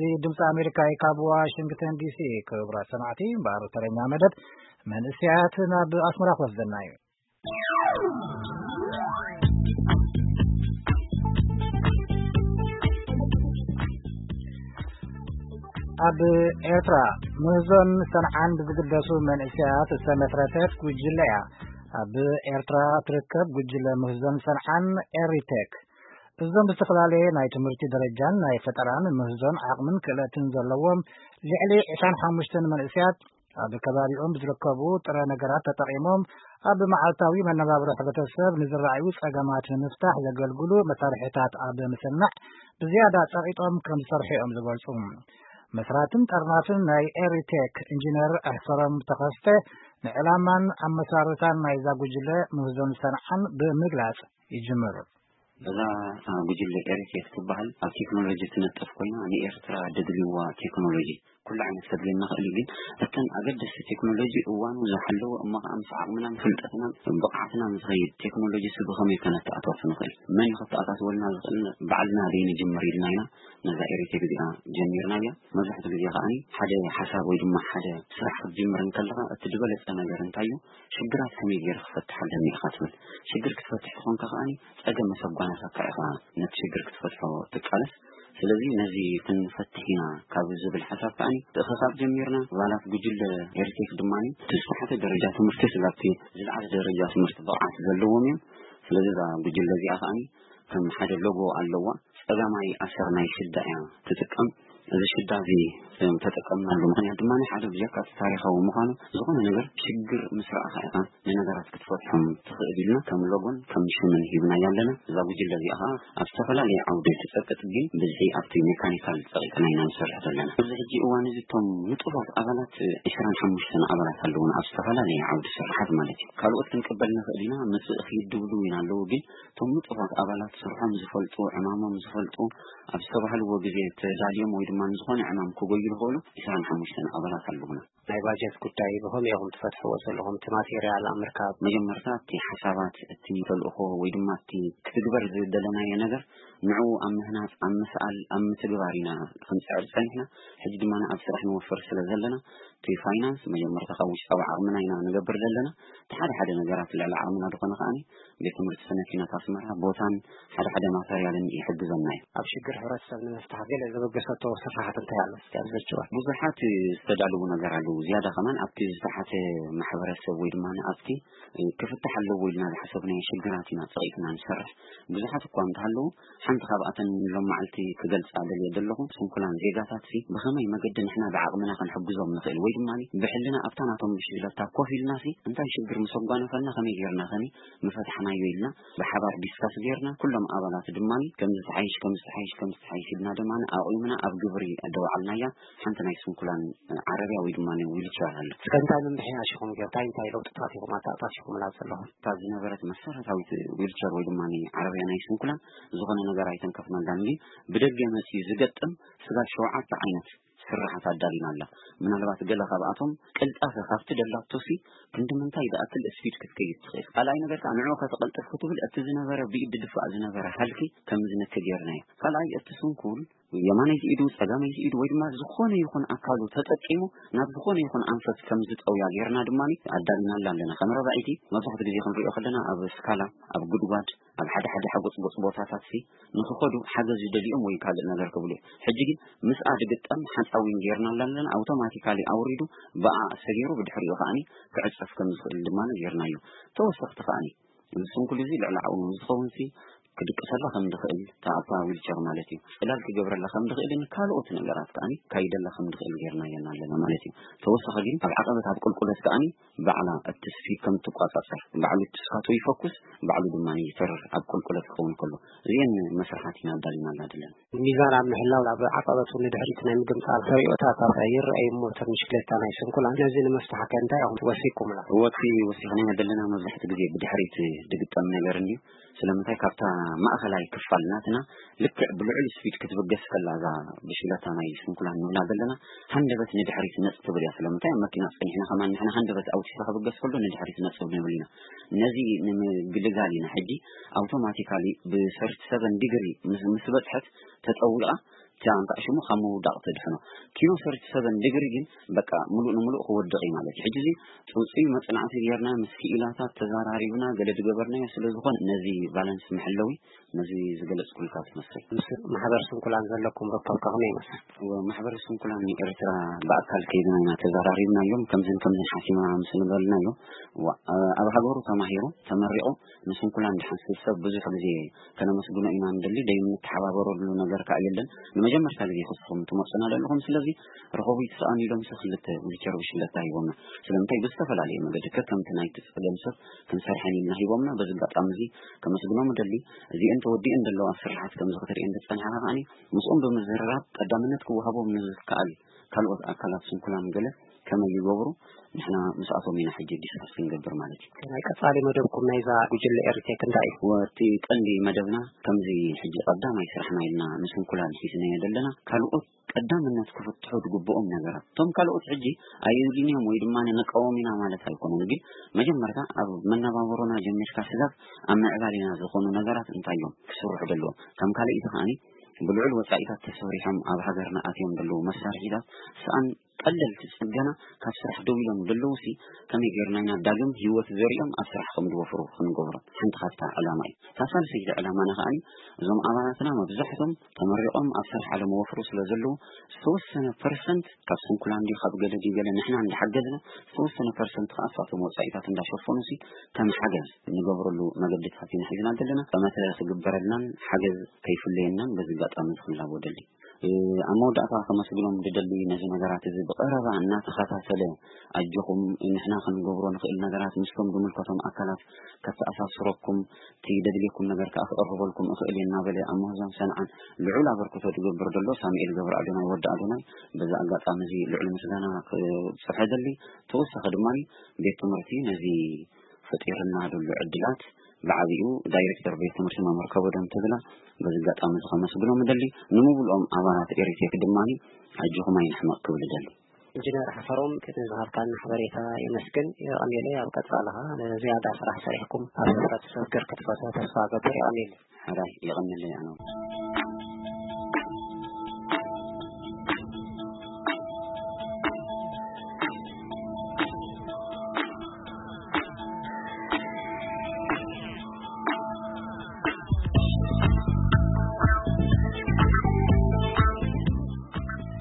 እዚ ድምፂ ኣሜሪካ እዩ ካብ ዋሽንግተን ዲሲ። ክቡራት ሰማዕቲ፣ እምበኣር ተረኛ መደብ መንእሰያት ናብ ኣስመራ ክወስደና እዩ። ኣብ ኤርትራ ምህዞን ሰንዓን ብዝግደሱ መንእሰያት ዝተመስረተት ጉጅለ እያ። ኣብ ኤርትራ ትርከብ ጉጅለ ምህዞን ሰንዓን ኤሪቴክ፣ እዞም ብዝተፈላለየ ናይ ትምህርቲ ደረጃን ናይ ፈጠራን ምህዞን ዓቕምን ክእለትን ዘለዎም ልዕሊ ዕስራን ሓሙሽተን መንእሰያት ኣብ ከባቢኦም ብዝርከቡ ጥረ ነገራት ተጠቒሞም ኣብ መዓልታዊ መነባብሮ ሕብረተሰብ ንዝረኣዩ ጸገማት ንምፍታሕ ዘገልግሉ መሳርሒታት ኣብ ምስናዕ ብዝያዳ ጸቒጦም ከም ዝሰርሑ እዮም ዝገልጹ። መስራትን ጠርናፍን ናይ ኤሪቴክ ኢንጂነር ኣሕፈሮም ተኸስተ ንዕላማን ኣመሳርታን ናይዛ ጉጅለ ምህዞን ሰንዓን ብምግላጽ ይጅምር። እዛ ጉጅለ ኤሪቴክ ትበሃል ኣብ ቴክኖሎጂ ትነጥፍ ኮይና ንኤርትራ ደድልዋ ቴክኖሎጂ ኩሉ ዓይነት ከድልየና ክእል እዩ። ግን እተን ኣገደስቲ ቴክኖሎጂ እዋኑ ዝሓለወ እሞ ከዓ ምስ ዓቕምናን ፍልጠትናን ብቕዓትናን ዝኸይድ ቴክኖሎጂ ሲ ብኸመይ ከነተኣታቱ ንኽእል፣ መን እዩ ከተኣታትወልና ዝኽእል፣ ባዕልና ዘይንጅምር ኢልና ኢና ነዛ ኤሪቴክ እዚኣ ጀሚርናያ። መብዛሕትኡ ግዜ ከዓኒ ሓደ ሓሳብ ወይ ድማ ሓደ ስራሕ ክትጅምር እንከለኻ እቲ ዝበለጸ ነገር እንታይ እዩ፣ ሽግራት ከመይ ገይረ ክፈትሕ ኣለኒ ኢኻ ትብል። ሽግር ክትፈትሕ ተኾንካ ከዓኒ ጸገም ምስ ኣጓነፈካ ኢኻ ነቲ ሽግር ክትፈትሖ ትቃለስ። ስለዚ ነዚ ክንፈትሕ ኢና ካብ ዝብል ሓሳብ ከዓኒ ምትእኽኻብ ጀሚርና። ኣባላት ጉጅለ ኤሪቴክ ድማ እቲ ዝተሓተ ደረጃ ትምህርቲ ስጋብቲ ዝለዓለ ደረጃ ትምህርቲ ብቕዓት ዘለዎም እዮም። ስለዚ እዛ ጉጅለ እዚኣ ከዓኒ ከም ሓደ ሎጎ ኣለዋ። ጸጋማይ ኣሰር ናይ ሽዳ እያ ትጥቀም። እዚ ሽዳ እዚ ተጠቀምናሉ ምኽንያት ድማ ሓደ ብጀካ እቲ ታሪኻዊ ምዃኑ ዝኾነ ነገር ሽግር ምስ ረኣኻ ኢኻ ንነገራት ክትፈትሖም ትኽእል ኢልና ከም ሎጎን ከም ሽምን ሂብናያ ኣለና። እዛ ጉጅለ እዚኣ ኸዓ ኣብ ዝተፈላለየ ዓውዲ ትጸቅጥ፣ ግን ብዝሒ ኣብቲ ሜካኒካል ጸቂጥና ኢና ንሰርሕ ዘለና። ኣብዚ ሕጂ እዋን እዚ እቶም ንጡፋት ኣባላት ዕስራን ሓሙሽተን ኣባላት ኣለዉና ኣብ ዝተፈላለየ ዓውዲ ስራሓት ማለት እዩ። ካልኦት ክንቅበል ንኽእል ኢና፣ ምጽእ ክይድብሉ ኢና ኣለዉ፣ ግን እቶም ንጡፋት ኣባላት ስርሖም ዝፈልጡ፣ ዕማሞም ዝፈልጡ፣ ኣብ ዝተባህልዎ ግዜ ተዳልዮም ወይ ድማ ንዝኾነ ዕማም ክጎዩ ዝኽእሉ ዕስራን ሓሙሽተን ኣባላት ኣለዉና። ናይ ባጀት ጉዳይ ብኸመይ ኢኹም ትፈትሕዎ ዘለኹም? እቲ ማቴርያል ኣብ ምርካብ? መጀመርታ እቲ ሓሳባት፣ እቲ ተልእኾ ወይ ድማ እቲ ክትግበር ዝደለናዮ ነገር ንዕኡ ኣብ ምህናጽ፣ ኣብ ምስኣል፣ ኣብ ምትግባር ኢና ክንጽዕር ጸኒሕና። ሕጂ ድማ ኣብ ስራሕ ንወፍር ስለ ዘለና እቲ ፋይናንስ መጀመርታ ካብ ውሽጣዊ ዓቕምና ኢና ንገብር ዘለና። እቲ ሓደ ሓደ ነገራት ልዕሊ ዓቕምና ዝኾነ ከዓኒ ቤት ትምህርቲ ስነ ኪነት ኣስመራ ቦታን ሓደ ሓደ ማተርያልን ይሕግዘና እዩ። ኣብ ሽግር ሕብረተሰብ ንምፍታሕ ገለ ዘበገሰቶ ስራሓት እንታይ ኣሎ? እስኪ ኣብ ዘጭዋ። ብዙሓት ዝተዳለዉ ነገር ኣለዉ። ዝያዳ ከማን ኣብቲ ዝተሓተ ማሕበረሰብ ወይ ድማ ኣብቲ ክፍታሕ ኣለዎ ኢልና ዝሓሰብናዮ ሽግራት ኢና ጸቒጥና ንሰርሕ። ብዙሓት እኳ እንተሃለዉ፣ ሓንቲ ካብኣተን ሎም መዓልቲ ክገልጻ ደልየ ዘለኹ፣ ስንኩላን ዜጋታት ሲ ብኸመይ መገዲ ንሕና ብዓቕምና ክንሕግዞም ንኽእል ወይ ድማ ብሕልና ኣብታ ናቶም ብሽግለታ ኮፍ ኢልና ሲ እንታይ ሽግር ምስ ኣጓነፈልና ከመይ ጌርና ከኒ ምፈታሕናዮ ኢልና ብሓባር ዲስካስ ጌርና፣ ኩሎም ኣባላት ድማ ከምዚ ተሓይሽ፣ ከምዚ ተሓይሽ፣ ከምዚ ተሓይሽ ኢልና ድማ ኣቑምና ኣብ ግብሪ ደውዓልናያ። ሓንቲ ናይ ስንኩላን ዓረብያ ወይ ድማ ዊልቸር ኣሎ። እስከ እንታይ ምምሕያሽ ኢኹም ጌር-፣ እንታይ እንታይ ለውጥታት ኢኹም ኣተኣታቲኹምላ ዘለኹም? እታ ዝነበረት መሰረታዊት ዊልቸር ወይ ድማ ዓረብያ ናይ ስንኩላን ዝኾነ ነገር ኣይተንከፍናላን፣ ግን ብደገ መፂኡ ዝገጥም ስጋብ ሸውዓተ ዓይነት ስራሓት ኣዳሊና ኣላ። ምናልባት ገለ ካብኣቶም ቅልጣፈ ካብቲ ደላቶሲ ክንዲ ምንታይ ዝኣክል ስፒድ ክትከይድ ትኽእል። ካልኣይ ነገር ከዓ ንዕኡ ከተቐልጥፍ ክትብል እቲ ዝነበረ ብኢድ ድፋእ ዝነበረ ሃልኪ ከም ዝነከ ጌርናዮ። ካልኣይ እቲ ስንኩል የማነይቲ ኢዱ፣ ጸጋመይቲ ኢዱ ወይ ድማ ዝኾነ ይኹን ኣካሉ ተጠቂሙ ናብ ዝኾነ ይኹን ኣንፈት ከም ዝጠውያ ጌርና ድማ ኣዳሊናላ ኣለና። ከም ረባዒቲ መብዛሕትኡ ግዜ ክንሪኦ ከለና ኣብ ስካላ፣ ኣብ ጉድጓድ፣ ኣብ ሓደ ሓደ ሓጎጽጎጽ ቦታታት ሲ ንኽኸዱ ሓገዝ ዝደልዮም ወይ ካልእ ነገር ክብሉ እዮም። ሕጂ ግን ምስኣ ዝግጠም ሓፃዊን ጌርናላ ኣለና። ኣውቶማቲካሊ ኣውሪዱ ብኣ ኣሰጊሩ ብድሕሪኡ ከዓኒ ክዕጸፍ ከም ዝኽእል ድማ ጌርናዮ። ተወሰኽቲ ከዓኒ እዚ ስንኩል እዚ ልዕሊ ዓቕሙ ዝኸውን ሲ ክድቅሰላ ከም ዝኽእል፣ እታ ኣብታ ዊልቸር ማለት እዩ፣ ጽላል ክገብረላ ከም ዝኽእልን ካልኦት ነገራት ከዓኒ ካይደላ ከም ዝኽእል ጌርናየን ኣለና ማለት እዩ። ተወሳኺ ግን ኣብ ዓቐበት ኣብ ቁልቁለት ከዓኒ ባዕላ እቲ ስፒድ ከም ትቋጻጸር፣ ባዕሉ እቲ ስካቶ ይፈኩስ፣ ባዕሉ ድማ ይተርር ኣብ ቁልቁለት ክኸውን ከሎ። እዚአን መስርሓት ኢና ኣዳሊናላ ዘለና። ሚዛን ኣብ ምሕላው ኣብ ዓቐበት እውን ንድሕሪት ናይ ምግምጣል ተርእዮታት ይረኣዩ እሞ፣ እተን ብሽክለታ ናይ ስንኩላን ነዚ ንምፍታሕ ከ እንታይ ኢኹም ወሲኩምላ? ወሲ ወሲኽናዮ ዘለና መብዛሕትኡ ግዜ ብድሕሪት ዝግጠም ነገር እንድዩ። ስለምንታይ? ካብታ ማእኸላይ ክፋል ናትና ልክዕ ብልዑል ስፒድ ክትብገስ ከላ እዛ ብሽክለታ ናይ ስንኩላን ንብላ ዘለና ሃንደበት ንድሕሪት ነጽ ትብል እያ። ስለምንታይ? ኣብ መኪና ጸኒሕና ከማን ንሕና ሃንደበት ኣውጺኻ ክብገስ ከሎ ንድሕሪት ነጽ ንብል ኢና። ነዚ ንምግልጋል ኢና ሕጂ ኣውቶማቲካሊ ብ ሰርቲ ሰቨን ዲግሪ ምስ፣ ምስ በጽሐት ተጸዊቓ እታ እንካዕ ሽሙ ካብ ምውዳቕ ተድሕኖ። ኪኖ ሰርቲ ሰቨን ዲግሪ ግን በቃ ምሉእ ንምሉእ ክወድቕ እዩ ማለት እዩ። ሕጂ እዚ ጽውጽይ መጽናዕቲ ጌርና ምስ ክኢላታት ተዘራሪብና ገለ ዝገበርናዮ ስለ ዝኾነ ነዚ ቫለንስ መሐለዊ ነዚ ዝገለጽኩልካ ትመስል። ምስ ማሕበር ስንኩላን ዘለኩም ርክብ ከመይ ይመስል? እወ፣ ማሕበር ስንኩላን ኤርትራ ብኣካል ከይድና ኢና ተዘራሪብናዮም። ከምዝን ከምዝን ሓሲብና ምስ ንበልናዮ፣ እዋ፣ ኣብ ሃገሩ ተማሂሩ ተመሪቑ ንስንኩላን ድሓን ሰብ ብዙሕ ግዜ ከነመስግኖ ኢና ንደሊ። ደይም ንተሓባበረሉ ነገር ከኣ የለን። ንመጀመርታ ግዜ ክስኹም ትመጹና ዘለኹም፣ ስለዚ ርኸቡ ይትስኣን ኢሎም ሲ ክልተ ዊልቸር ብሽለታ ሂቦምና። ስለምንታይ ብዝተፈላለየ መገዲ ከከምቲ ናይቲ ጸገም ሰብ ክንሰርሐን ኢልና ሂቦምና። በዚ ኣጋጣሚ እዚ ከመስግኖም እደሊ። እዚአን ተወዲአን ዘለዋ ስራሓት ከምዚ ክትርእየን ዝጸንሓኻ ከኣኒ ምስኦም ብምዝርራብ ቀዳምነት ክወሃቦም ንዝከኣል ካልኦት ኣካላት ስንኩላን ገለ ከመይ ይገብሩ ንሕና ምስኣቶም ኢና ሕጂ ዲስካስ ክንገብር ማለት እዩ። ናይ ቀጻሊ መደብኩም ናይዛ ጉጅለ ኤሪቴክ እንታይ እዩ? ወቲ ቀንዲ መደብና ከምዚ ሕጂ ቀዳማይ ስራሕና ኢልና ንስንኩላን ሒዝናዮ ዘለና ካልኦት ቀዳምነት ክፍትሑ ዝግብኦም ነገራት። እቶም ካልኦት ሕጂ ኣየድልንዮም ወይ ድማ ንቃወም ኢና ማለት ኣይኮነን፣ ግን መጀመርታ ኣብ መነባበሮና ጀሚርካ ስጋብ ኣብ ምዕባሌና ዝኾኑ ነገራት እንታይ እዮም ክስርሑ ደለዎም? ከም ካልኣይቲ ከኣኒ ብልዑል ወጻኢታት ተሰሪሖም ኣብ ሃገርና ኣትዮም ደለዉ መሳርሒታት ስኣን ቀለልቲ ጽገና ካብ ስራሕ ደው ኢሎም ደለዉ ሲ ከመይ ጌርና ኢና ዳግም ህይወት ዘሪኦም ኣብ ስራሕ ከም ዝወፍሩ ክንገብሮም ሓንቲ ካብታ ዕላማ እዩ። እታ ሳልሰይቲ ዕላማና ከኣኒ እዞም ኣባላትና መብዛሕቶም ተመሪቖም ኣብ ስራሕ ኣለመወፍሩ ስለ ዘለዉ ዝተወሰነ ፐርሰንት ካብ ስንኩላን ድዩ ካብ ገለ ድዩ ገለ ንሕና እንዳሓገዝና ዝተወሰነ ፐርሰንት ከኣ እሳቶም ወጻኢታት እንዳሸፈኑ ሲ ከም ሓገዝ ንገብረሉ መገድታት ኢና ሒዝና ዘለና። ጠመተ ክግበረልናን ሓገዝ ከይፍለየናን በዚ ኣጋጣሚ እዚ ክላቦ ደሊ። ኣብ መወዳእታ ከመስግኖም ዝደሊ ነዚ ነገራት እዚ ብቐረባ እናተኸታተለ ኣጆኹም ንሕና ክንገብሮ ንኽእል ነገራት ምስቶም ዝምልከቶም ኣካላት ከተኣሳስረኩም እቲ ደድልየኩም ነገር ከኣ ክቕርበልኩም እኽእል እየ እናበለ ኣብ ምህዞን ሰንዓን ልዑል ኣበርክቶ ዝገብር ዘሎ ሳሙኤል ገብረ ኣዶናይ ወዲ ኣዶናይ በዚ ኣጋጣሚ እዚ ልዑል ምስጋና ክጽሕደሊ ተወሳኺ ድማ ቤት ትምህርቲ ነዚ ፈጢርና ዘሎ ዕድላት ብዓቢኡ ዳይሬክተር ቤት ትምህርቲ መምህር ከበዶም ተድላ በዚ ኣጋጣሚ እዚ ከመስግኖም እደሊ። ንምብልኦም ኣባላት ኤሪቴክ ድማ ኣጆኹም ኣይንሕመቕ ክብል እደሊ። ኢንጂነር ሓፈሮም ቅድሚ ዝሃብካና ሓበሬታ የመስግን። የቐንየለይ ኣብ ቀጻሊ ኸኣ ንዝያዳ ስራሕ ሰሪሕኩም ኣብ ሕብረተሰብ ክርክት ፈትሑ ተስፋ ገብር። የቐንየለይ። ሕራይ የቐንየለይ ኣነ እውን።